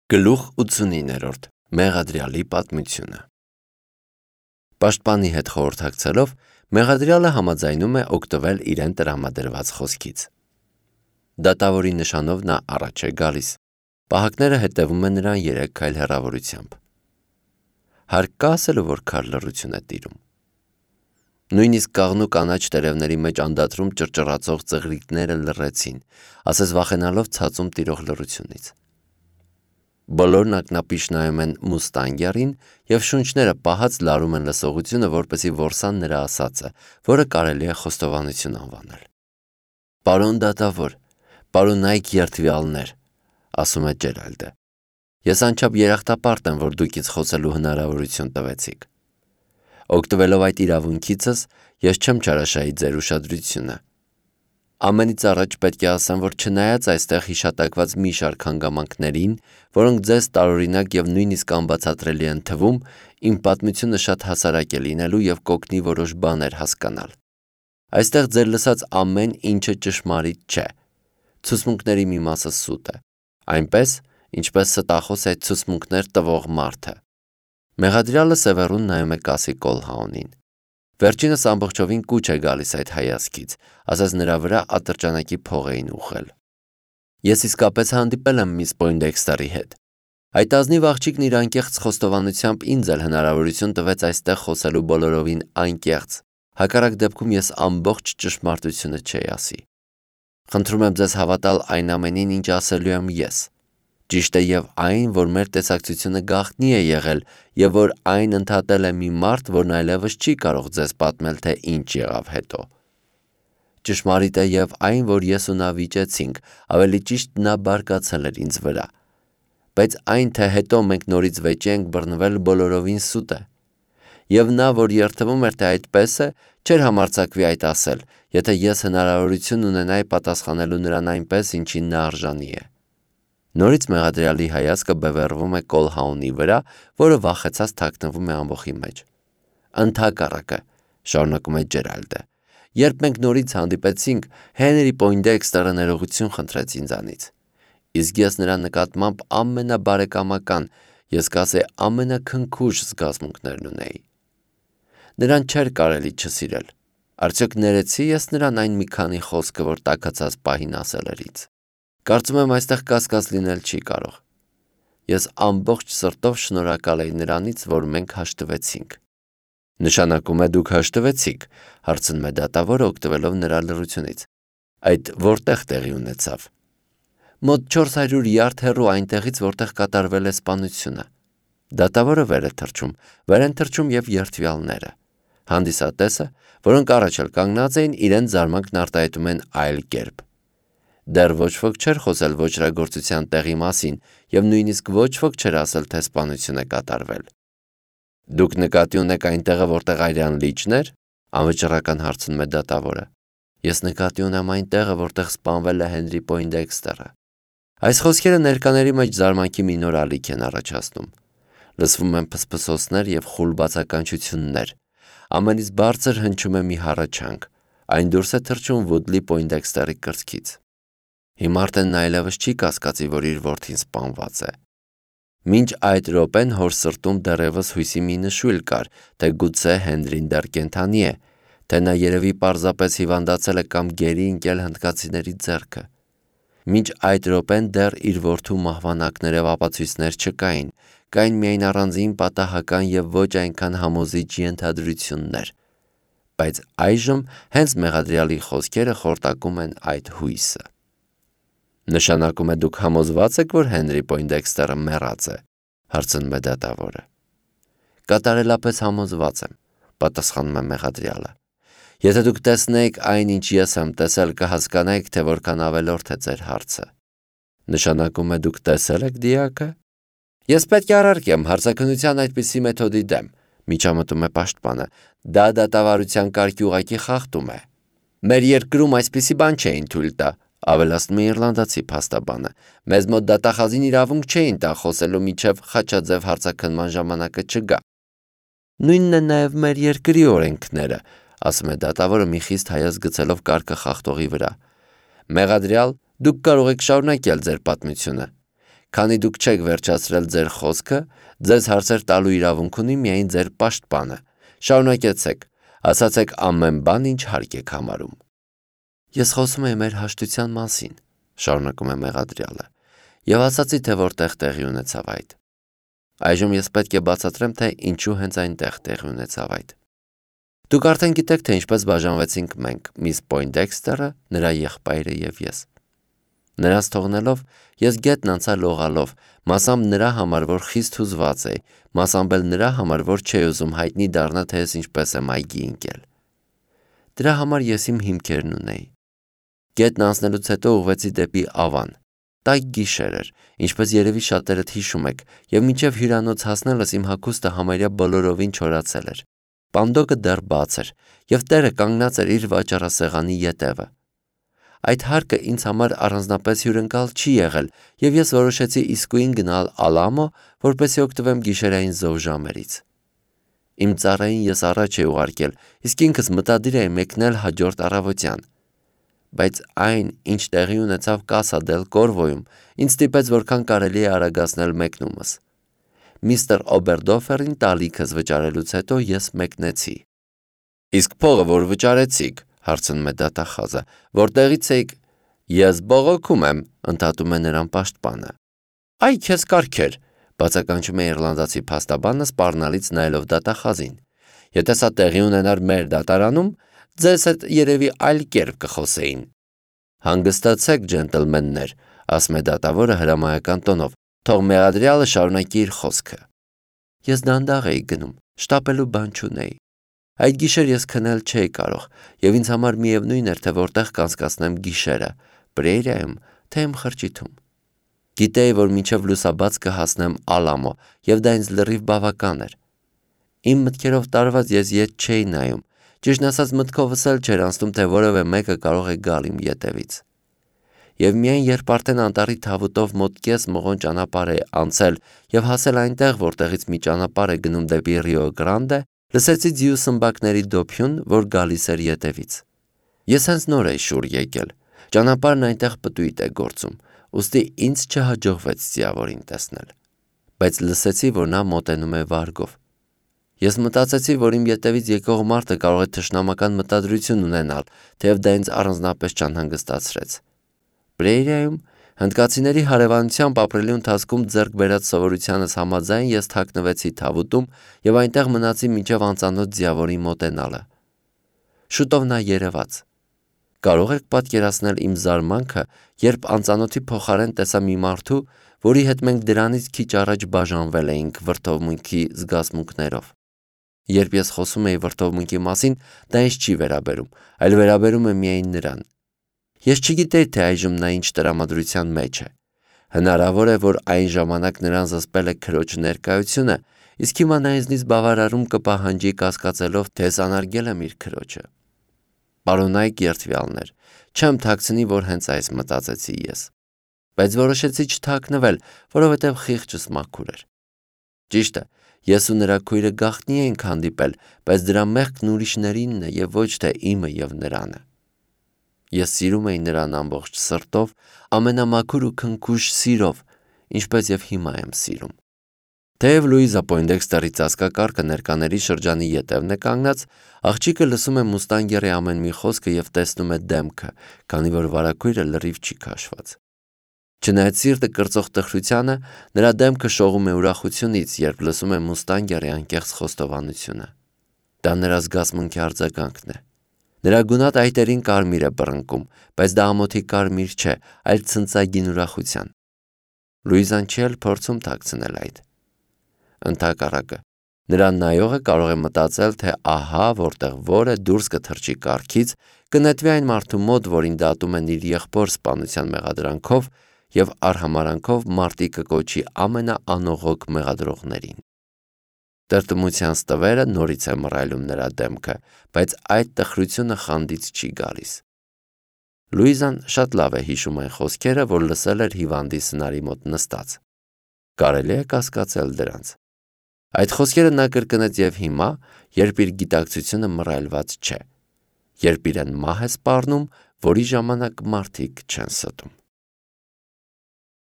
Գլուխ 89-րդ Մեղադրյալի պատմությունը Պաշտպանի հետ խորհրդակցելով, մեղադրյալը համաձայնում է օգտվել իրեն տրամադրված խոսքից։ Դատավորի նշանով նա առաջ է գալիս։ Պահակները հետևում են նրան 3 քայլ հեռավորությամբ։ Հարկ կա ասելու, որ քար լռություն է տիրում։ Նույնիսկ կաղնու կանաչ տերևների մեջ անդադրում ճռճռացող ծղրիկները լռեցին, ասես վախենալով ցածում տիրող լռությունից։ Բոլորն ակնապիշ նայում են Մուստանգյարին և շունչները պահած լարում են լսողությունը, որպեսզի որսան նրա ասածը, որը կարելի է խոստովանություն անվանել։ «Պարոն դատավոր, պարոնայք երդվյալներ», ասում է Ջերալդը, «ես անչափ երախտապարտ եմ, որ դուք ինձ խոսելու հնարավորություն տվեցիք։ Օգտվելով այդ իրավունքիցս, ես չեմ չարաշահի ձեր ուշադրությունը։ Ամենից առաջ պետք է ասեմ, որ չնայած այստեղ հիշատակված մի շարք հանգամանքներին, որոնք ձեզ տարօրինակ և նույնիսկ անբացատրելի են թվում, իմ պատմությունը շատ հասարակ է լինելու և կօգնի որոշ բաներ հասկանալ։ Այստեղ ձեր լսած ամեն ինչը ճշմարիտ չէ։ Ցուցմունքների մի մասը սուտ է, այնպես, ինչպես ստախոս է ցուցմունքներ տվող մարդը»։ Մեղադրյալը սևեռուն նայում է կասի Կոլհաունին։ Վերջինս ամբողջովին կուչ է գալիս այդ հայացքից, ասես նրա վրա ատրճանակի փող էին ուղղել։ «Ես իսկապես հանդիպել եմ միս Պոյնդեքստերի հետ։ Այդ ազնիվ աղջիկն իր անկեղծ խոստովանությամբ ինձ էլ հնարավորություն տվեց այստեղ խոսելու բոլորովին անկեղծ, հակառակ դեպքում ես ամբողջ ճշմարտությունը չէի ասի։ Խնդրում եմ ձեզ հավատալ այն ամենին, ինչ ասելու եմ ես։ Ճիշտ է և այն, որ մեր տեսակցությունը գաղտնի է եղել և որ այն ընդհատել է մի մարդ, որն այլևս չի կարող ձեզ պատմել, թե ինչ եղավ հետո։ Ճշմարիտ է և այն, որ ես ու նա վիճեցինք, ավելի ճիշտ նա բարկացել էր ինձ վրա։ Բայց այն, թե հետո մենք նորից վեճի ենք բռնվել, բոլորովին սուտ է։ Եվ նա, որ երդվում էր, թե այդպես է, չէր համարձակվի այդ ասել, եթե ես հնարավորություն ունենայի պատասխանելու նրան այնպես, ինչին նա արժանի է։ Նորից մեղադրյալի հայացքը բևեռվում է Կոլհաունի վրա, որը վախեցած թաքնվում է ամբոխի մեջ։ «Ընդհակառակը», շարունակում է Ջերալդը, «երբ մենք նորից հանդիպեցինք, Հենրի Պոյնդեքստերը ներողություն խնդրեց ինձանից։ Իսկ ես նրա նկատմամբ ամենաբարեկամական, ես կասեի ամենաքնքուշ զգացմունքներն ունեի։ Նրան չէր կարելի չսիրել։ Արդյոք ներեցի ես նրան այն մի քանի խոսքը, որ տաքացած պահին ասել էր ինձ։ Կարծում եմ այստեղ կասկած լինել չի կարող։ Ես ամբողջ սրտով շնորհակալ էի նրանից, որ մենք հաշտվեցինք»։ «Նշանակում է դուք հաշտվեցիք», հարցնում է դատավորը, օգտվելով նրա լռությունից։ «Այդ որտեղ տեղի ունեցավ»։ «Մոտ 400 յարդ հեռու այնտեղից, որտեղ կատարվել է սպանությունը»։ Դատավորը վեր են թռչում և երդվյալները։ Հանդիսատեսը, որոնք առաջ էլ կանգնած էին, իրենց զարմանքն արտահայտում են այլ կերպ։ Դեռ ոչ ոք չէր խոսել ոճրագործության տեղի մասին և նույնիսկ ոչ ոք չէր ասել, թե սպանություն է կատարվել։ «Դուք նկատի ունեք այն տեղը, որտեղ արյան լիճն էր», անվճռական հարցնում է դատավորը։ «Ես նկատի ունեմ այն տեղը, որտեղ սպանվել է Հենրի Պոյնդեքստերը»։ Այս խոսքերը ներկաների մեջ զարմանքի մի նոր ալիք են առաջացնում։ Լսվում են փսփսոցներ և խուլ բացականչություններ։ Ամենից բարձր հնչում է մի հառաչանք։ Այն դուրս է թռչում Վուդլի Պոյնդեքստերի կրծքից։ Հիմա արդեն նա այլևս չի կասկածի, որ իր որդին սպանված է։ Մինչ այդ րոպեն հոր սրտում դեռևս հույսի մի նշույլ կար, թե գուցե Հենրին դեռ կենդանի է, թե նա երևի պարզապես հիվանդացել է կամ գերի ընկել հնդկացիների ձեռքը։ Մինչ այդ րոպեն դեռ իր որդու մահվան ակներև ապացույցներ չկային, կային միայն առանձին պատահական և ոչ այնքան համոզիչ ենթադրություններ։ Բայց այժմ հենց մեղադրյալի խոսքերը խորտակում են այդ հույսը։ «Նշանակում է դուք համոզված եք, որ Հենրի Պոյնդեքստերը մեռած է», հարցնում է դատավորը։ «Կատարելապես համոզված եմ», պատասխանում է մեղադրյալը։ «Եթե դուք տեսնեիք այն, ինչ ես եմ տեսել, կհասկանայիք, թե որքան ավելորդ է ձեր հարցը»։ «Նշանակում է դուք տեսել եք դիակը»։ «Ես պետք է առարկեմ հարցաքննության այդպիսի մեթոդի դեմ», միջամտում է պաշտպանը։ «Դա դատավարության կարգի ուղղակի խախտում է։ Մեր երկրում այսպիսի բան չէին թույլ տա», ավելացնում է իռլանդացի փաստաբանը։ «Մեզ մոտ դատախազին իրավունք չէին տա խոսելու, մինչև խաչաձև հարցաքննման ժամանակը չգա»։ «Նույնն են նաև մեր երկրի օրենքները», ասում է դատավորը մի խիստ հայացք գցելով կարգը խախտողի վրա։ «Մեղադրյալ, դուք կարող եք շարունակել ձեր պատմությունը»։ Քանի դուք չեք վերջացրել ձեր խոսքը, ձեզ հարցեր տալու իրավունք ունի միայն ձեր պաշտպանը։ Շարունակեցեք, ասացեք ամեն բան, ինչ հարկ եք համարում։ Ես խոսում եմ մեր հաշտության մասին, շարունակում է մեղադրյալը, եւ ասացի, թե որտեղ տեղի ունեցավ այդ։ Այժմ ես պետք է բացատրեմ, թե ինչու հենց այնտեղ տեղի ունեցավ այդ։ Դուք արդեն գիտեք, թե ինչպես բաժանվեցինք մենք, միս Պոյնդեքստերը, նրա եղբայրը եւ ես։ Նրանց թողնելով, ես գետն անցա լողալով, մասամբ նրա համար, որ խիստ հուզված էի, մասամբ էլ նրա համար, որ չէի ուզում հայտնի դառնա, թե ես ինչպես եմ այգի ընկել։ Դրա համար ես իմ հիմքերն ունեի։ Գետն անցնելուց հետո ուղղվեցի դեպի Ավան։ Տաք գիշեր էր, ինչպես երևի շատերդ հիշում եք, եւ մինչև հյուրանոց հասնելս իմ հագուստը համարյա բոլորովին չորացել էր։ Պանդոկը դեռ բաց էր, եւ տերը կանգնած էր իր վաճառասեղանի ետևը։ Այդ հարկը ինձ համար առանձնապես հյուրընկալ չի եղել, եւ ես որոշեցի իսկույն գնալ Ալամո, որպեսզի օգտվեմ գիշերային զով ժամերից։ Իմ ծառային ես առաջ էի ուղարկել, իսկ ինքս մտադիր էի մեկնել հաջորդ առավոտյան։ Բայց այն, ինչ տեղի ունեցավ Կասա դել Կորվոյում, ինձ ստիպեց որքան կարելի է արագացնել մեկնումս։ Միստր Օբերդոֆերին տալիքս վճարելուց հետո ես մեկնեցի։ Իսկ փողը որ վճարեցիք, հարցնում է դատախազը, որտեղից եք։ Ես բողոքում եմ, ընդհատում է նրան պաշտպանը։ Այ քեզ կարգեր, բացականչում է իռլանդացի փաստաբանը սպառնալից նայելով դատախազին։ Եթե սա տեղի ունենար մեր դատարանում, ձեզ հետ երևի այլ կերպ կխոսեին։ Հանգստացեք, ջենտլմեններ, ասում է դատավորը հրամայական տոնով, թող մեղադրյալը շարունակի իր խոսքը։ Ես դանդաղ էի գնում, շտապելու բան չունեի։ Այդ գիշեր ես քնել չէի կարող, եւ ինձ համար միևնույն էր, թե որտեղ կանցկացնեմ գիշերը, Պրեյրիայում, թե իմ խրճիթում։ Գիտեի, որ մինչև լուսաբաց կհասնեմ Ալամո, եւ դա ինձ լրիվ բավական էր։ Իմ մտքերով տարված ես ետ չէի նայում, ճիշտն ասած մտքովս էլ չէր անցնում, թե որևէ մեկը կարող է գալ իմ ետևից։ Եվ միայն երբ արդեն անտառի թավուտով մոտ կես մղոն ճանապարհ է անցել եւ հասել այնտեղ, որտեղից մի ճանապարհ է գնում դեպի Ռիո Գրանդե, լսեցի ձիու սմբակների դոփյուն, որ գալիս էր ետևից։ Ես հենց նոր էի շուռ եկել։ Ճանապարհն այնտեղ պտույտ է գործում, ուստի ինձ չհաջողվեց ձիավորին տեսնել։ Բայց լսեցի, որ նա մոտենում է վարգով։ Ես մտածեցի, որ իմ ետևից եկող մարդը կարող է թշնամական մտադրություն ունենալ, թեև դա ինձ առանձնապես չանհանգստացրեց։ Պրեյրիայում հնդկացիների հարևանությամբ ապրելու ընթացքում ձեռք բերած սովորությանս համաձայն ես թաքնվեցի թավուտում եւ այնտեղ մնացի մինչև անծանոթ ձիավորի մոտենալը։ Շուտով նա երևաց։ Կարող եք պատկերացնել իմ զարմանքը, երբ անծանոթի փոխարեն տեսա մի մարդու, որի հետ մենք դրանից քիչ առաջ բաժանվել էինք վրդովմունքի զգացմունքներով։ Երբ ես խոսում էի վրդովմունքի մասին, դա ինձ չի վերաբերում, այլ վերաբերում է միայն նրան։ Ես չգիտեի, թե այժմ նա ինչ տրամադրության մեջ է։ Հնարավոր է, որ այն ժամանակ նրան զսպել է քրոջ ներկայությունը, իսկ հիմա նա ինձնից բավարարում կպահանջի կասկածելով, թե ես անարգել եմ իր քրոջը։ Պարոնայք երդվյալներ, չեմ թաքցնի, որ հենց այս մտածեցի ես։ Բայց որոշեցի չթաքնվել, որովհետև խիղճս մաքուր էր։ Ճիշտ է, ես ու նրա քույրը գաղտնի էինք հանդիպել, բայց դրա մեղքն ուրիշներինն է եւ ոչ թե իմը եւ նրանը։ Ես սիրում էի նրան ամբողջ սրտով, ամենամաքուր ու քնքուշ սիրով, ինչպես եւ հիմա եմ սիրում։ Թեև Լուիզա Պոյնդեքստերի ծածկակարգը ներկաների շրջանի ետևն է կանգնած, աղջիկը լսում է մուստանգերի ամեն մի խոսքը եւ տեսնում է դեմքը, քանի որ վարագույրը լրիվ չի քաշված։ Չնայած սիրտը կրծող տխրությանը, նրա դեմքը շողում է ուրախությունից, երբ լսում է մուստանգերի անկեղծ խոստովանությունը։ Դա նրա զգացմունքի արձագանքն է։ Նրա գունատ այտերին կարմիր է բռնկում, բայց դա ամոթի կարմիր չէ, այլ ցնցագին ուրախության։ Լուիզան չի էլ փորձում թաքցնել այդ։ Ընդհակառակը, նրան նայողը կարող է մտածել, թե ահա որտեղ որը դուրս կթռչի կառքից, կնետվի այն մարդու մոտ, որին դատում են իր եղբոր սպանության մեղադրանքով եւ արհամարանքով մարտի կկոչի ամենաանողոք մեղադրողներին։ Տրտմության ստվերը նորից է մռայլում նրա դեմքը, բայց այդ տխրությունը խանդից չի գալիս։ Լուիզան շատ լավ է հիշում այն խոսքերը, որ լսել էր հիվանդի սնարի մոտ նստած։ Կարելի է կասկածել դրանց։ Այդ խոսքերը նա կրկնեց եւ հիմա, երբ իր գիտակցությունը մռայլված չէ, երբ իրեն մահ է սպառնում, որի ժամանակ մարդիկ չեն ստում։